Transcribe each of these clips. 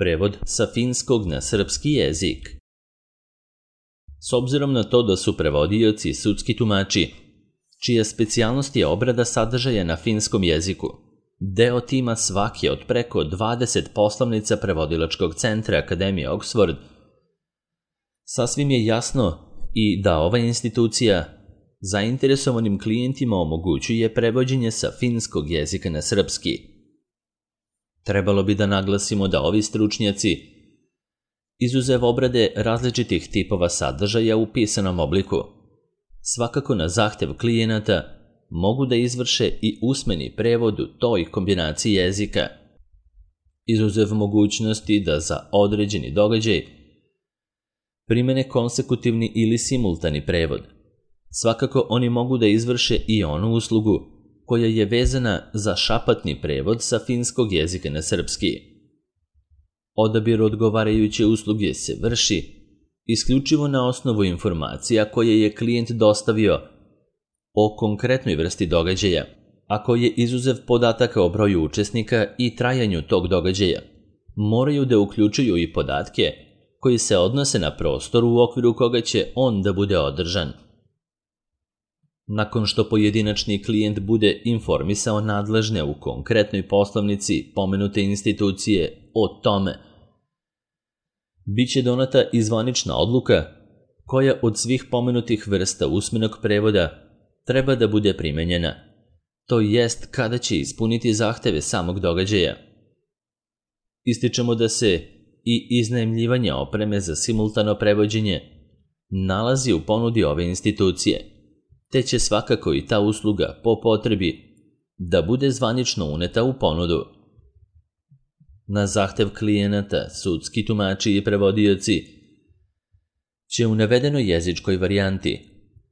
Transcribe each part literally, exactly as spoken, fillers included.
Prevod sa finskog na srpski jezik. S obzirom na to da su prevodioci i sudski tumači, čija specijalnost je obrada sadržaja na finskom jeziku, deo tima svake od preko dvadeset poslovnica prevodilačkog centra Akademije Oxford, sasvim je jasno i da ova institucija zainteresovanim klijentima omogućuje prevođenje sa finskog jezika na srpski. Trebalo bi da naglasimo da ovi stručnjaci, izuzev obrade različitih tipova sadržaja u pisanom obliku, svakako na zahtev klijenata mogu da izvrše i usmeni prevod u toj kombinaciji jezika, izuzev mogućnosti da za određeni događaj primene konsekutivni ili simultani prevod. Svakako oni mogu da izvrše i onu uslugu koja je vezana za šapatni prevod sa finskog jezika na srpski. Odabir odgovarajuće usluge se vrši isključivo na osnovu informacija koje je klijent dostavio o konkretnoj vrsti događaja, a koje izuzev podataka o broju učesnika i trajanju tog događaja moraju da uključuju i podatke koji se odnose na prostor u okviru koga će on da bude održan. Nakon što pojedinačni klijent bude informisao nadležne u konkretnoj poslovnici pomenute institucije o tome, biće donata i zvanična odluka koja od svih pomenutih vrsta usmenog prevoda treba da bude primenjena, to jest kada će ispuniti zahteve samog događaja. Ističemo da se i iznajmljivanje opreme za simultano prevođenje nalazi u ponudi ove institucije, te će svakako i ta usluga po potrebi da bude zvanično uneta u ponudu. Na zahtev klijenata, sudski tumači i prevodioci će u navedenoj jezičkoj varijanti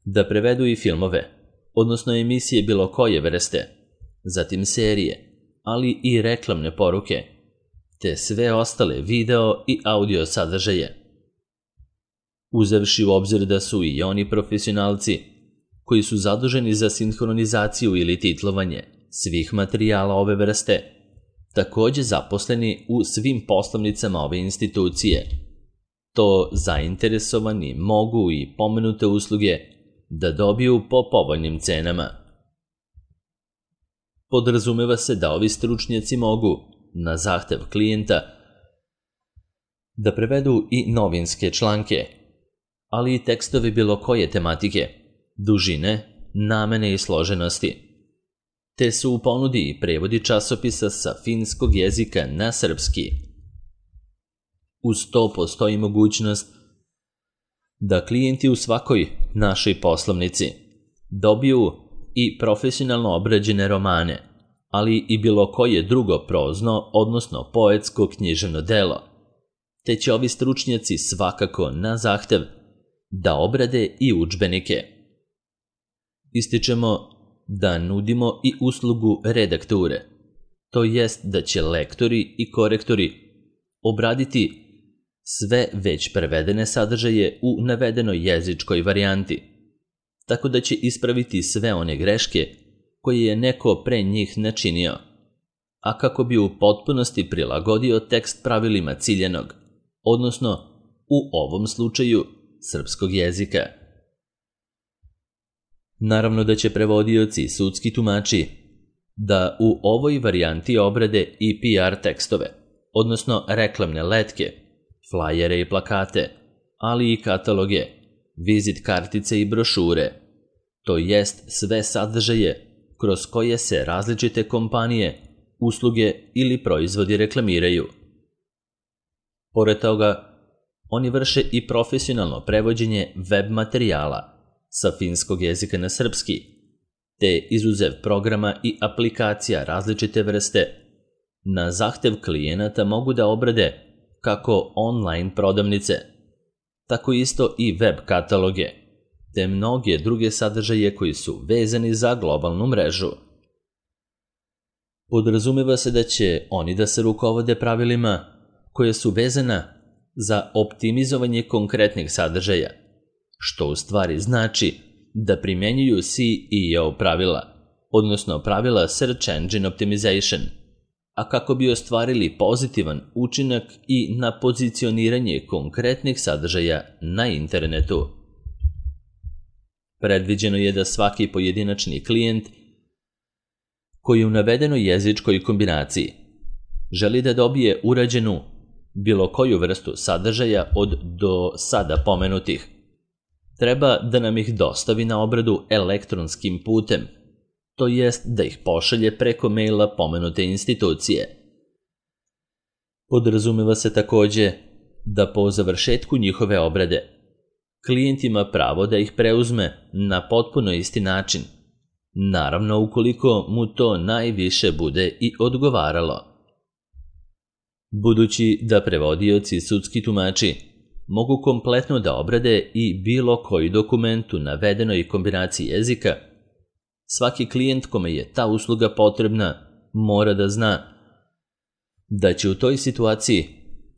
da prevedu i filmove, odnosno emisije bilo koje vrste, zatim serije, ali i reklamne poruke, te sve ostale video i audio sadržaje. Uzevši u obzir da su i oni profesionalci koji su zaduženi za sinhronizaciju ili titlovanje svih materijala ove vrste, takođe zaposleni u svim poslovnicama ove institucije, to zainteresovani mogu i pomenute usluge da dobiju po povoljnim cenama. Podrazumeva se da ovi stručnjaci mogu, na zahtev klijenta, da prevedu i novinske članke, ali i tekstovi bilo koje tematike, dužine, namene i složenosti, te su u ponudi i prevodi časopisa sa finskog jezika na srpski. Uz to postoji mogućnost da klijenti u svakoj našoj poslovnici dobiju i profesionalno obrađene romane, ali i bilo koje drugo prozno, odnosno poetsko književno delo, te će ovi stručnjaci svakako na zahtev da obrade i udžbenike. Ističemo da nudimo i uslugu redakture, to jest da će lektori i korektori obraditi sve već prevedene sadržaje u navedenoj jezičkoj varijanti, tako da će ispraviti sve one greške koje je neko pre njih načinio, a kako bi u potpunosti prilagodio tekst pravilima ciljenog, odnosno u ovom slučaju srpskog jezika. Naravno da će prevodioci i sudski tumači da u ovoj varijanti obrade i P R tekstove, odnosno reklamne letke, flajere i plakate, ali i kataloge, vizit kartice i brošure, to jest sve sadržaje kroz koje se različite kompanije, usluge ili proizvodi reklamiraju. Pored toga, oni vrše i profesionalno prevođenje web materijala sa finskog jezika na srpski, te izuzev programa i aplikacija različite vrste, na zahtev klijenata mogu da obrade kako online prodavnice, tako isto i web kataloge, te mnoge druge sadržaje koji su vezani za globalnu mrežu. Podrazumeva se da će oni da se rukovode pravilima koje su vezana za optimizovanje konkretnih sadržaja, što u stvari znači da primenjuju C E O pravila, odnosno pravila Search Engine Optimization, a kako bi ostvarili pozitivan učinak i na pozicioniranje konkretnih sadržaja na internetu. Predviđeno je da svaki pojedinačni klijent koji u navedenoj jezičkoj kombinaciji želi da dobije urađenu bilo koju vrstu sadržaja od do sada pomenutih, treba da nam ih dostavi na obradu elektronskim putem, to jest da ih pošalje preko maila pomenute institucije. Podrazumeva se takođe da po završetku njihove obrade klijent ima pravo da ih preuzme na potpuno isti način, naravno ukoliko mu to najviše bude i odgovaralo. Budući da prevodioci i sudski tumači mogu kompletno da obrade i bilo koji dokument u navedenoj kombinaciji jezika, svaki klijent kome je ta usluga potrebna mora da zna da će u toj situaciji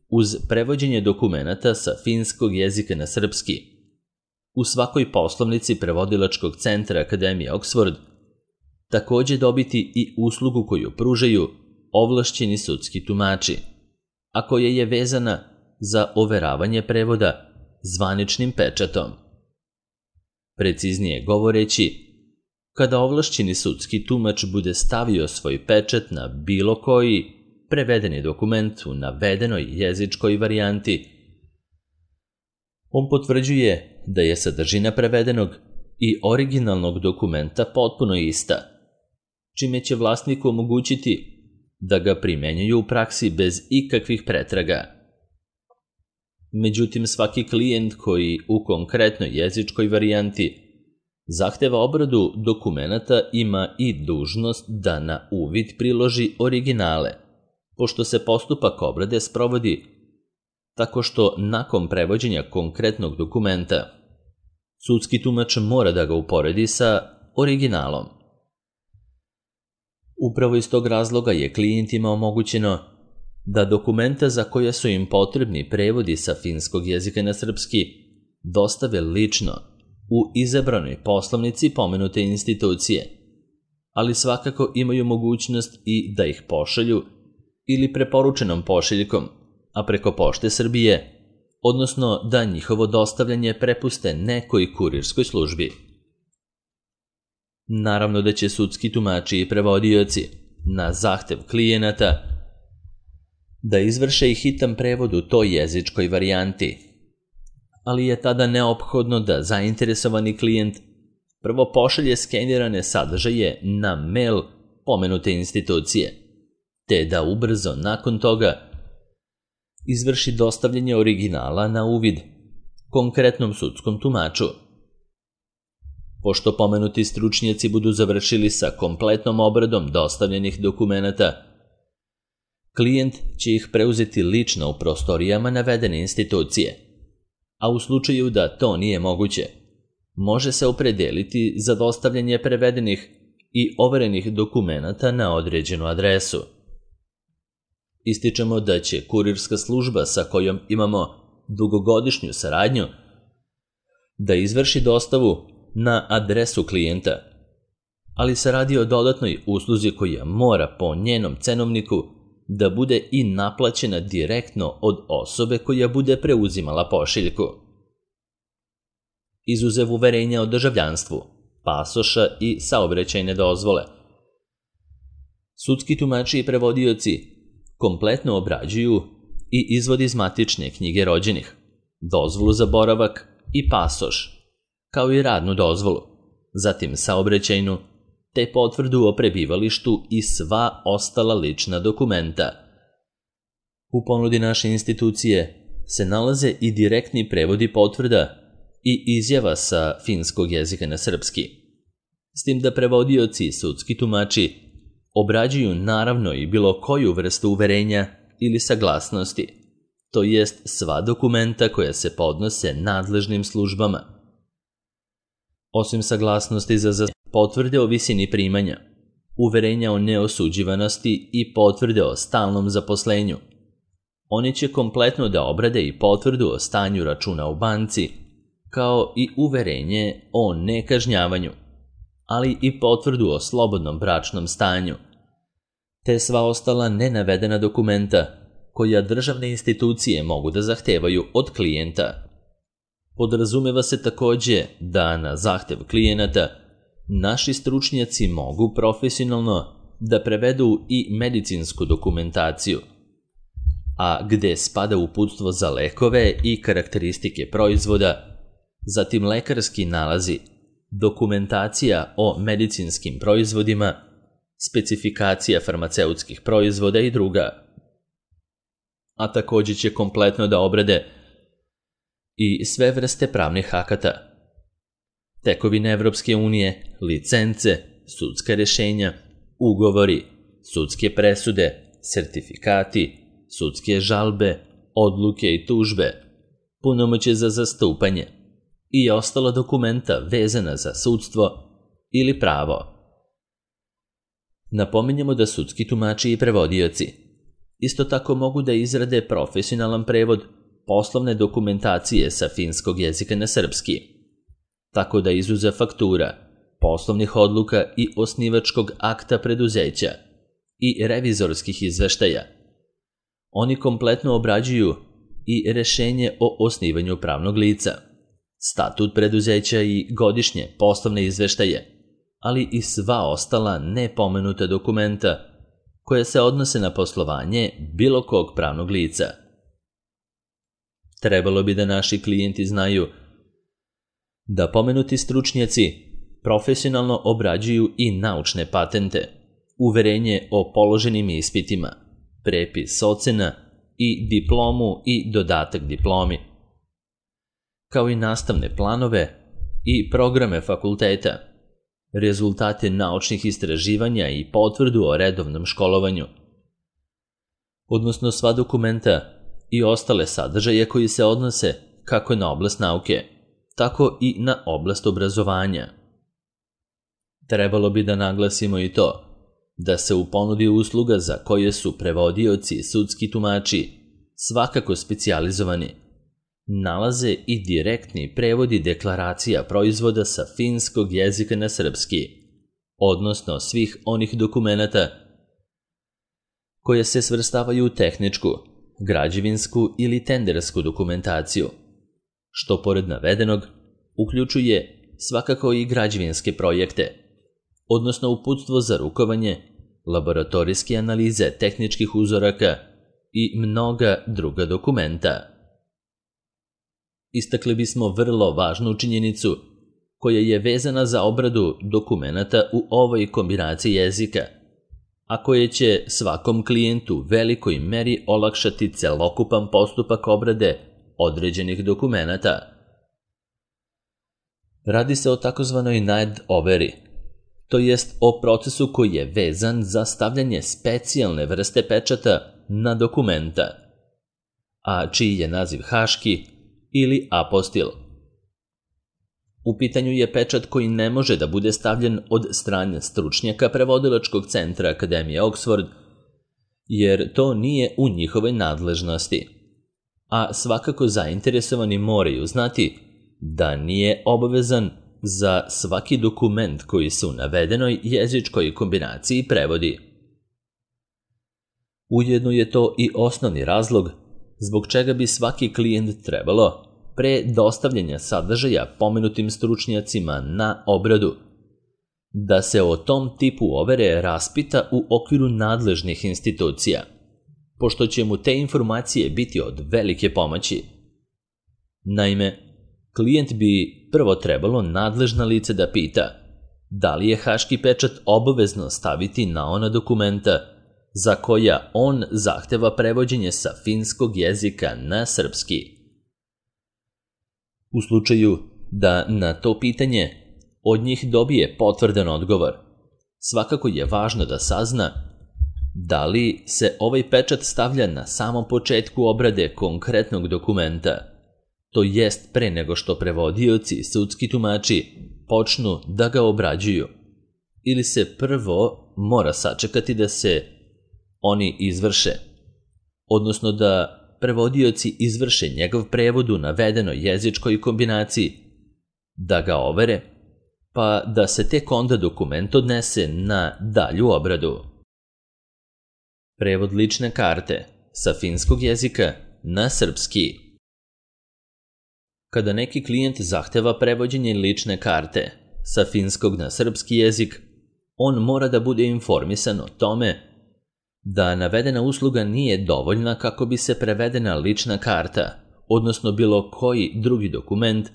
uz prevođenje dokumenata sa finskog jezika na srpski u svakoj poslovnici prevodilačkog centra Akademije Oxford takođe dobiti i uslugu koju pružaju ovlašćeni sudski tumači, a koja je vezana za overavanje prevoda zvaničnim pečatom. Preciznije govoreći, kada ovlašćeni sudski tumač bude stavio svoj pečat na bilo koji prevedeni dokument u navedenoj jezičkoj varijanti, on potvrđuje da je sadržina prevedenog i originalnog dokumenta potpuno ista, čime će vlasniku omogućiti da ga primenjuju u praksi bez ikakvih pretraga. Međutim, svaki klijent koji u konkretnoj jezičkoj varijanti zahteva obradu dokumenata ima i dužnost da na uvid priloži originale, pošto se postupak obrade sprovodi tako što nakon prevođenja konkretnog dokumenta sudski tumač mora da ga uporedi sa originalom. Upravo iz tog razloga je klijentima omogućeno da dokumenta za koje su im potrebni prevodi sa finskog jezika na srpski dostave lično u izabranoj poslovnici pomenute institucije, ali svakako imaju mogućnost i da ih pošalju ili preporučenom pošiljkom, a preko Pošte Srbije, odnosno da njihovo dostavljanje prepuste nekoj kurirskoj službi. Naravno da će sudski tumači i prevodioci na zahtev klijenata da izvrše i hitan prevod u toj jezičkoj varijanti, ali je tada neophodno da zainteresovani klijent prvo pošalje skenirane sadržaje na mail pomenute institucije, te da ubrzo nakon toga izvrši dostavljanje originala na uvid konkretnom sudskom tumaču. Pošto pomenuti stručnjaci budu završili sa kompletnom obradom dostavljenih dokumenata, klijent će ih preuzeti lično u prostorijama navedene institucije, a u slučaju da to nije moguće, može se opredeliti za dostavljanje prevedenih i overenih dokumenata na određenu adresu. Ističemo da će kurirska služba sa kojom imamo dugogodišnju saradnju da izvrši dostavu na adresu klijenta, ali se radi o dodatnoj usluzi koja mora po njenom cenovniku da bude i naplaćena direktno od osobe koja bude preuzimala pošiljku. Izuzev uverenja o državljanstvu, pasoša i saobraćajne dozvole, sudski tumači i prevodioci kompletno obrađuju i izvod iz matične knjige rođenih, dozvolu za boravak i pasoš, kao i radnu dozvolu, zatim saobraćajnu, te potvrdu o prebivalištu i sva ostala lična dokumenta. U ponudi naše institucije se nalaze i direktni prevodi potvrda i izjava sa finskog jezika na srpski, s tim da prevodioci i sudski tumači obrađuju naravno i bilo koju vrstu uverenja ili saglasnosti, to jest sva dokumenta koja se podnose nadležnim službama. Osim saglasnosti za potvrde o visini primanja, uverenja o neosuđivanosti i potvrde o stalnom zaposlenju, oni će kompletno da obrade i potvrdu o stanju računa u banci, kao i uverenje o nekažnjavanju, ali i potvrdu o slobodnom bračnom stanju, te sva ostala nenavedena dokumenta koja državne institucije mogu da zahtevaju od klijenta. Podrazumeva se takođe da na zahtev klijenata naši stručnjaci mogu profesionalno da prevedu i medicinsku dokumentaciju, a gde spada uputstvo za lekove i karakteristike proizvoda, zatim lekarski nalazi, dokumentacija o medicinskim proizvodima, specifikacija farmaceutskih proizvoda i druga. A takođe će kompletno da obrade i sve vrste pravnih akata, tekovine Evropske unije, licence, sudska rešenja, ugovori, sudske presude, sertifikati, sudske žalbe, odluke i tužbe, punomoćje za zastupanje i ostala dokumenta vezana za sudstvo ili pravo. Napominjemo da sudski tumači i prevodioci isto tako mogu da izrade profesionalan prevod poslovne dokumentacije sa finskog jezika na srpski, tako da izuze faktura, poslovnih odluka i osnivačkog akta preduzeća i revizorskih izveštaja. Oni kompletno obrađuju i rešenje o osnivanju pravnog lica, statut preduzeća i godišnje poslovne izveštaje, ali i sva ostala nepomenuta dokumenta koje se odnose na poslovanje bilo kog pravnog lica. Trebalo bi da naši klijenti znaju da pomenuti stručnjaci profesionalno obrađuju i naučne patente, uverenje o položenim ispitima, prepis ocena i diplomu i dodatak diplomi, kao i nastavne planove i programe fakulteta, rezultate naučnih istraživanja i potvrdu o redovnom školovanju, odnosno sva dokumenta i ostale sadržaje koji se odnose kako na oblast nauke, tako i na oblast obrazovanja. Trebalo bi da naglasimo i to da se u ponudi usluga za koje su prevodioci i sudski tumači svakako specijalizovani nalaze i direktni prevodi deklaracija proizvoda sa finskog jezika na srpski, odnosno svih onih dokumenata koje se svrstavaju u tehničku, građevinsku ili tendersku dokumentaciju, što pored navedenog uključuje svakako i građevinske projekte, odnosno uputstvo za rukovanje, laboratorijske analize tehničkih uzoraka i mnoga druga dokumenta. Istakli bismo vrlo važnu činjenicu koja je vezana za obradu dokumenata u ovoj kombinaciji jezika, a koje će svakom klijentu velikoj meri olakšati celokupan postupak obrade određenih dokumenata. Radi se o takozvanoj N A D overi, to jest o procesu koji je vezan za stavljanje specijalne vrste pečata na dokumenta, a čiji je naziv haški ili apostil. U pitanju je pečat koji ne može da bude stavljen od strane stručnjaka prevodilačkog centra Akademije Oxford, jer to nije u njihovoj nadležnosti, a svakako zainteresovani moraju znati da nije obavezan za svaki dokument koji se u navedenoj jezičkoj kombinaciji prevodi. Ujedno je to i osnovni razlog zbog čega bi svaki klijent trebalo, pre dostavljanja sadržaja pomenutim stručnjacima na obradu, da se o tom tipu overe raspita u okviru nadležnih institucija, pošto će mu te informacije biti od velike pomoći. Naime, klijent bi prvo trebalo nadležna lice da pita da li je haški pečat obavezno staviti na ona dokumenta za koja on zahteva prevođenje sa finskog jezika na srpski. U slučaju da na to pitanje od njih dobije potvrdan odgovor, svakako je važno da sazna da li se ovaj pečat stavlja na samom početku obrade konkretnog dokumenta, to jest pre nego što prevodioci i sudski tumači počnu da ga obrađuju, ili se prvo mora sačekati da se oni izvrše, odnosno da prevodioci izvrše njegov prevod u navedenoj jezičkoj kombinaciji, da ga overe, pa da se tek onda dokument odnese na dalju obradu. Prevod lične karte sa finskog jezika na srpski. Kada neki klijent zahteva prevođenje lične karte sa finskog na srpski jezik, on mora da bude informisan o tome da navedena usluga nije dovoljna kako bi se prevedena lična karta, odnosno bilo koji drugi dokument,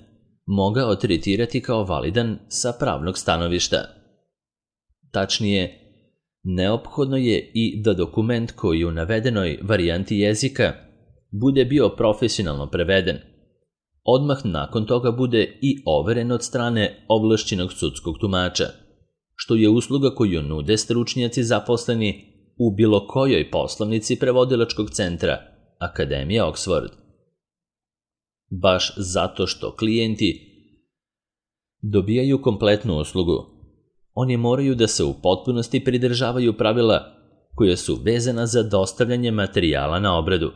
mogao tretirati kao validan sa pravnog stanovišta. Tačnije, neophodno je i da dokument koji u navedenoj varijanti jezika bude bio profesionalno preveden. Odmah nakon toga bude i overen od strane ovlašćenog sudskog tumača, što je usluga koju nude stručnjaci zaposleni u bilo kojoj poslovnici prevodilačkog centra Akademije Oxford. Baš zato što klijenti dobijaju kompletnu uslugu, oni moraju da se u potpunosti pridržavaju pravila koja su vezana za dostavljanje materijala na obradu,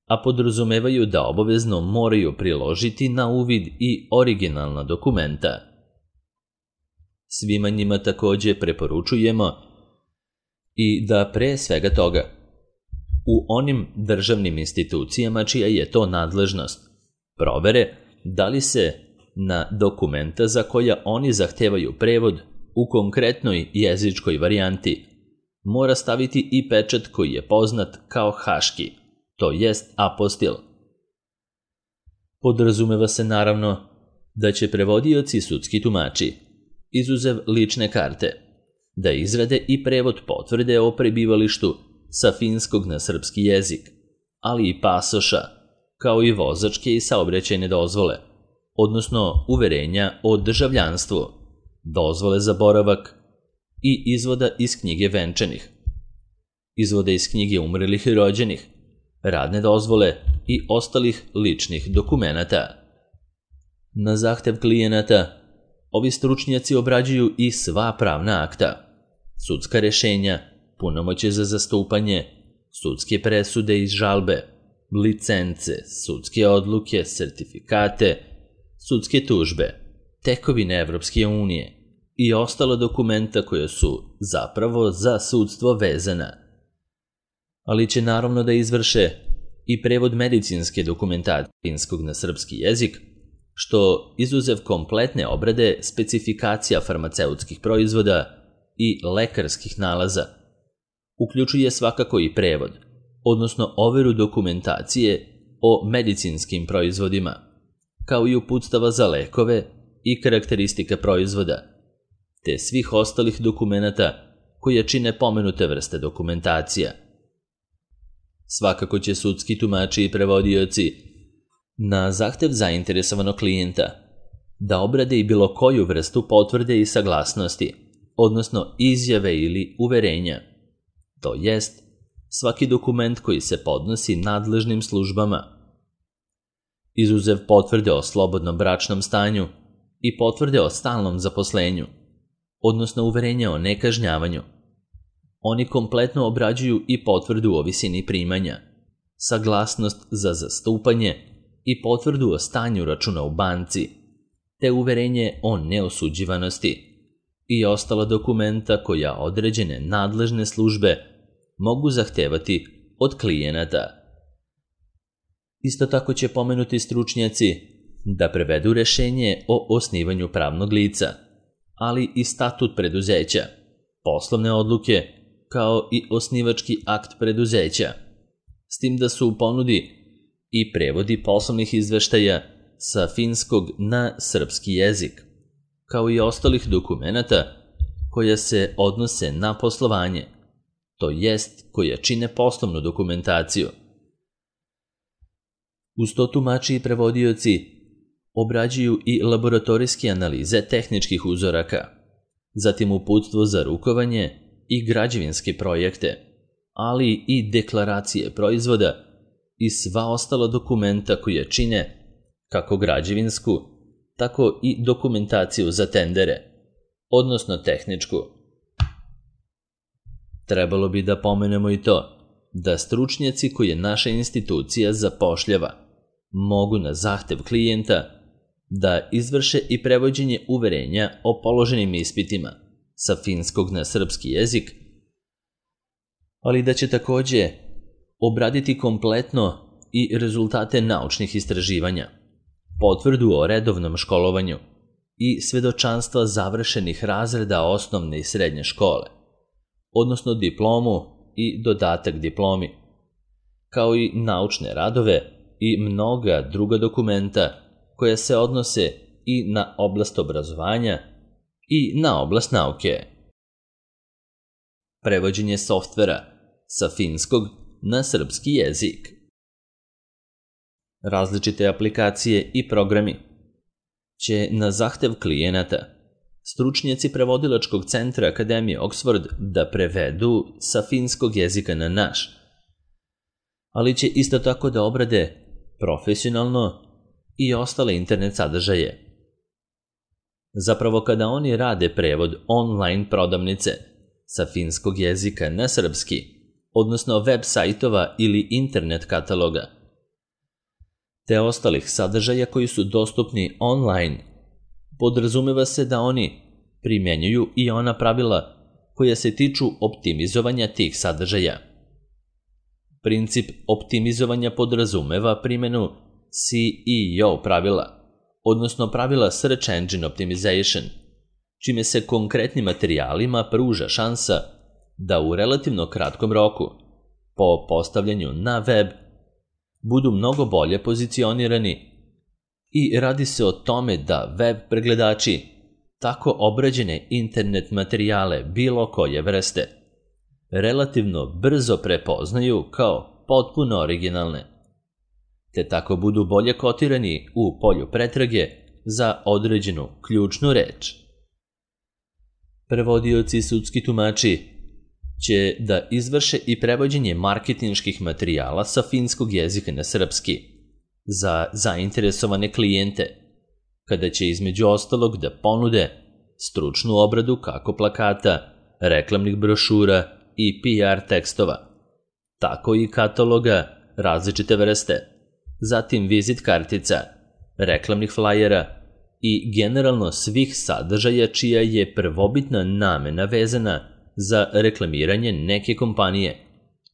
a podrazumevaju da obavezno moraju priložiti na uvid i originalna dokumenta. Svima njima takođe preporučujemo i da pre svega toga, u onim državnim institucijama čija je to nadležnost, provere da li se na dokumenta za koja oni zahtevaju prevod u konkretnoj jezičkoj varijanti mora staviti i pečat koji je poznat kao haški, to jest apostil. Podrazumeva se naravno da će prevodioci i sudski tumači, izuzev lične karte, da izrade i prevod potvrde o prebivalištu sa finskog na srpski jezik, ali i pasoša, kao i vozačke i saobraćajne dozvole, odnosno uverenja o državljanstvu, dozvole za boravak i izvoda iz knjige venčanih, izvoda iz knjige umrlih i rođenih, radne dozvole i ostalih ličnih dokumenata. Na zahtev klijenata, ovi stručnjaci obrađuju i sva pravna akta, sudska rešenja, punomoćje za zastupanje, sudske presude i žalbe, licence, sudske odluke, sertifikate, sudske tužbe, tekovine Evropske unije i ostala dokumenta koja su zapravo za sudstvo vezana. Ali će naravno da izvrše i prevod medicinske dokumentacije finskog na srpski jezik, što izuzev kompletne obrade specifikacija farmaceutskih proizvoda i lekarskih nalaza, uključuje svakako i prevod, odnosno overu dokumentacije o medicinskim proizvodima, kao i uputstava za lekove i karakteristike proizvoda, te svih ostalih dokumenata koje čine pomenute vrste dokumentacija. Svakako će sudski tumači i prevodioci na zahtev zainteresovanog klijenta da obrade i bilo koju vrstu potvrde i saglasnosti, odnosno izjave ili uverenja, to jest svaki dokument koji se podnosi nadležnim službama, izuzev potvrde o slobodnom bračnom stanju i potvrde o stalnom zaposlenju, odnosno uverenja o nekažnjavanju. Oni kompletno obrađuju i potvrdu o visini primanja, saglasnost za zastupanje i potvrdu o stanju računa u banci, te uverenje o neosuđivanosti i ostala dokumenta koja određene nadležne službe mogu zahtevati od klijenata. Isto tako će pomenuti stručnjaci da prevedu rešenje o osnivanju pravnog lica, ali i statut preduzeća, poslovne odluke, kao i osnivački akt preduzeća, s tim da su u ponudi i prevodi poslovnih izveštaja sa finskog na srpski jezik, kao i ostalih dokumenata koja se odnose na poslovanje, to jest koja čine poslovnu dokumentaciju. Uz to tumači i prevodioci obrađuju i laboratorijske analize tehničkih uzoraka, zatim uputstvo za rukovanje i građevinske projekte, ali i deklaracije proizvoda i sva ostala dokumenta koja čine kako građevinsku, tako i dokumentaciju za tendere, odnosno tehničku. Trebalo bi da pomenemo i to da stručnjaci koje naša institucija zapošljava mogu na zahtev klijenta da izvrše i prevođenje uverenja o položenim ispitima sa finskog na srpski jezik ali da će također obraditi kompletno i rezultate naučnih istraživanja, potvrdu o redovnom školovanju i svedočanstva završenih razreda osnovne i srednje škole, odnosno diplomu i dodatak diplomi, kao i naučne radove i mnoga druga dokumenta koja se odnose i na oblast obrazovanja i na oblast nauke. Prevođenje softvera sa finskog na srpski jezik. Različite aplikacije i programi će na zahtev klijenata stručnjaci prevodilačkog centra Akademije Oxford da prevedu sa finskog jezika na naš, ali će isto tako da obrade profesionalno i ostale internet sadržaje. Zapravo, kada oni rade prevod online prodavnice sa finskog jezika na srpski, odnosno web sajtova ili internet kataloga, te ostalih sadržaja koji su dostupni online, podrazumeva se da oni primjenjuju i ona pravila koja se tiču optimizovanja tih sadržaja. Princip optimizovanja podrazumeva primjenu C E O pravila, odnosno pravila Search Engine Optimization, čime se konkretnim materijalima pruža šansa da u relativno kratkom roku, po postavljanju na web, budu mnogo bolje pozicionirani i radi se o tome da web pregledači tako obrađene internet materijale bilo koje vrste relativno brzo prepoznaju kao potpuno originalne, te tako budu bolje kotirani u polju pretrage za određenu ključnu reč. Prevodioci i sudski tumači će da izvrše i prevođenje marketinških materijala sa finskog jezika na srpski za zainteresovane klijente, kada će između ostalog da ponude stručnu obradu kako plakata, reklamnih brošura i P R tekstova, tako i kataloga različite vrste, zatim vizit kartica, reklamnih flajera i generalno svih sadržaja čija je prvobitna namena vezana za reklamiranje neke kompanije,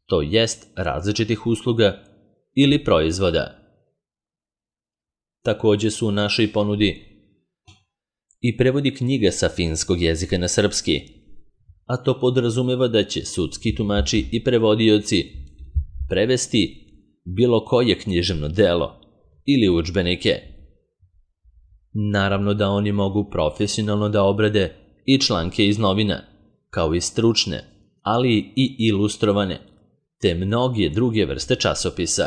to jest različitih usluga ili proizvoda. Također su u našoj ponudi i prevodi knjiga sa finskog jezika na srpski, a to podrazumeva da će sudski tumači i prevodioci prevesti bilo koje književno delo ili udžbenike. Naravno da oni mogu profesionalno da obrade i članke iz novina, kao i stručne, ali i ilustrovane, te mnoge druge vrste časopisa.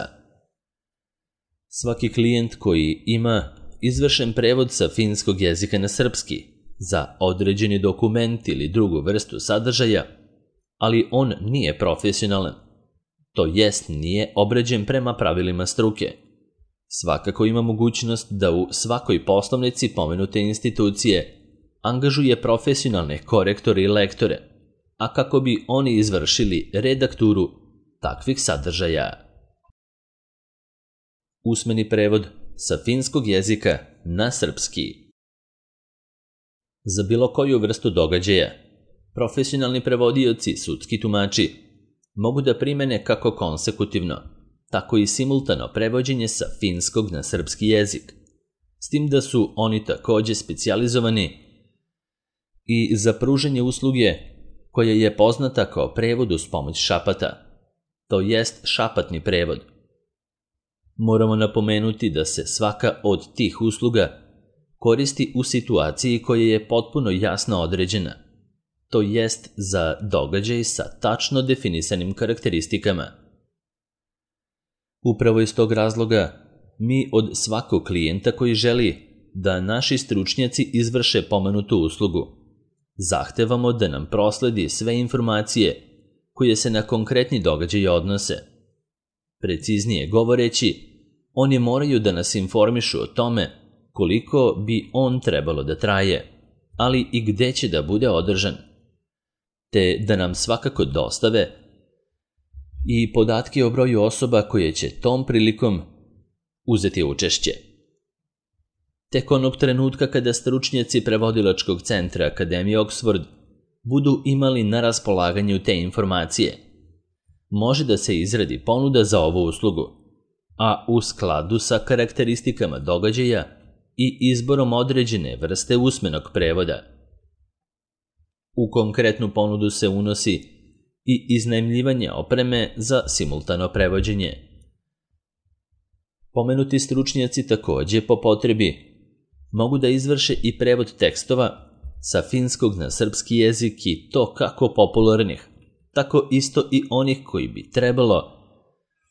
Svaki klijent koji ima izvršen prevod sa finskog jezika na srpski za određeni dokument ili drugu vrstu sadržaja, ali on nije profesionalan, to jest nije obrađen prema pravilima struke, svakako ima mogućnost da u svakoj poslovnici pomenute institucije angažuje profesionalne korektore i lektore, a kako bi oni izvršili redakturu takvih sadržaja. Usmeni prevod sa finskog jezika na srpski. Za bilo koju vrstu događaja, profesionalni prevodioci, sudski tumači, mogu da primene kako konsekutivno, tako i simultano prevođenje sa finskog na srpski jezik, s tim da su oni također specijalizovani i za pružanje usluge koja je poznata kao prevod uz pomoć šapata, to jest šapatni prevod. Moramo napomenuti da se svaka od tih usluga koristi u situaciji koja je potpuno jasno određena, to jest za događaj sa tačno definisanim karakteristikama. Upravo iz tog razloga mi od svakog klijenta koji želi da naši stručnjaci izvrše pomenutu uslugu zahtevamo da nam prosledi sve informacije koje se na konkretni događaj odnose. Preciznije govoreći, oni moraju da nas informišu o tome koliko bi on trebalo da traje, ali i gde će da bude održan, te da nam svakako dostave i podatke o broju osoba koje će tom prilikom uzeti učešće. Tek onog trenutka kada stručnjaci prevodilačkog centra Akademije Oxford budu imali na raspolaganju te informacije, može da se izradi ponuda za ovu uslugu, a u skladu sa karakteristikama događaja i izborom određene vrste usmenog prevoda. U konkretnu ponudu se unosi i iznajmljivanje opreme za simultano prevođenje. Pomenuti stručnjaci takođe po potrebi mogu da izvrše i prevod tekstova sa finskog na srpski jezik i to kako popularnih, tako isto i onih koji bi trebalo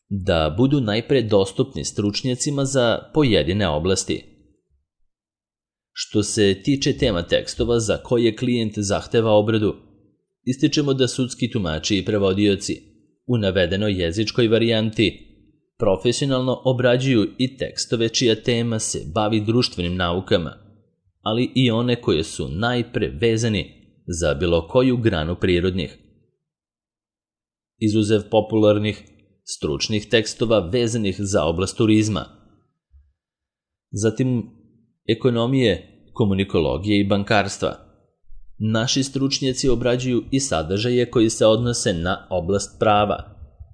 da budu najpre dostupni stručnjacima za pojedine oblasti. Što se tiče tema tekstova za koje klijent zahteva obradu, ističemo da sudski tumači i prevodioci u navedenoj jezičkoj varijanti profesionalno obrađuju i tekstove čija tema se bavi društvenim naukama, ali i one koje su najpre vezani za bilo koju granu prirodnih. Izuzev popularnih, stručnih tekstova vezanih za oblast turizma. Zatim ekonomije, komunikologije i bankarstva. Naši stručnjaci obrađuju i sadržaje koji se odnose na oblast prava,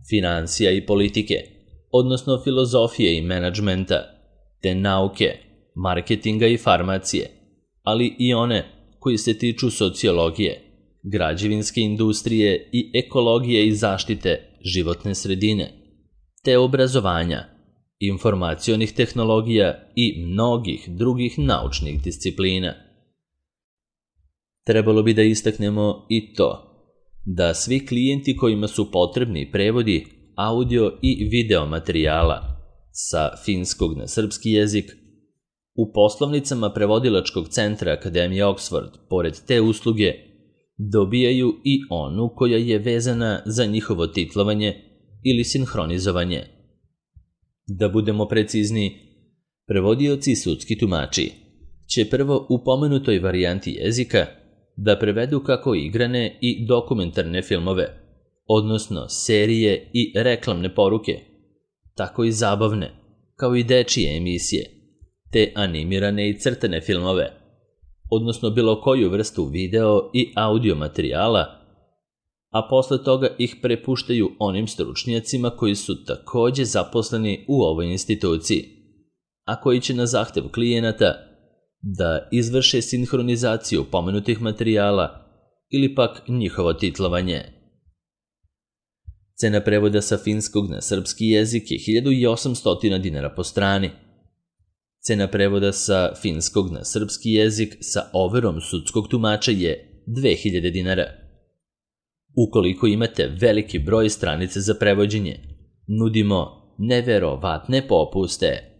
finansija i politike, odnosno filozofije i menadžmenta, te nauke, marketinga i farmacije, ali i one koji se tiču sociologije, građevinske industrije i ekologije i zaštite životne sredine, te obrazovanja, informacionih tehnologija i mnogih drugih naučnih disciplina. Trebalo bi da istaknemo i to da svi klijenti kojima su potrebni prevodi audio i video materijala sa finskog na srpski jezik u poslovnicama prevodilačkog centra Akademije Oxford, pored te usluge, dobijaju i onu koja je vezana za njihovo titlovanje ili sinhronizovanje. Da budemo precizni, prevodioci i sudski tumači će prvo u pomenutoj varijanti jezika da prevedu kako igrane i dokumentarne filmove, odnosno serije i reklamne poruke, tako i zabavne, kao i dečije emisije, te animirane i crtane filmove, odnosno bilo koju vrstu video i audio materijala, a posle toga ih prepuštaju onim stručnjacima koji su takođe zaposleni u ovoj instituciji, a koji će na zahtev klijenata da izvrše sinhronizaciju pomenutih materijala ili pak njihovo titlovanje. Cena prevoda sa finskog na srpski jezik je hiljadu osamsto dinara po strani. Cena prevoda sa finskog na srpski jezik sa overom sudskog tumača je dve hiljade dinara. Ukoliko imate veliki broj stranice za prevođenje, nudimo neverovatne popuste.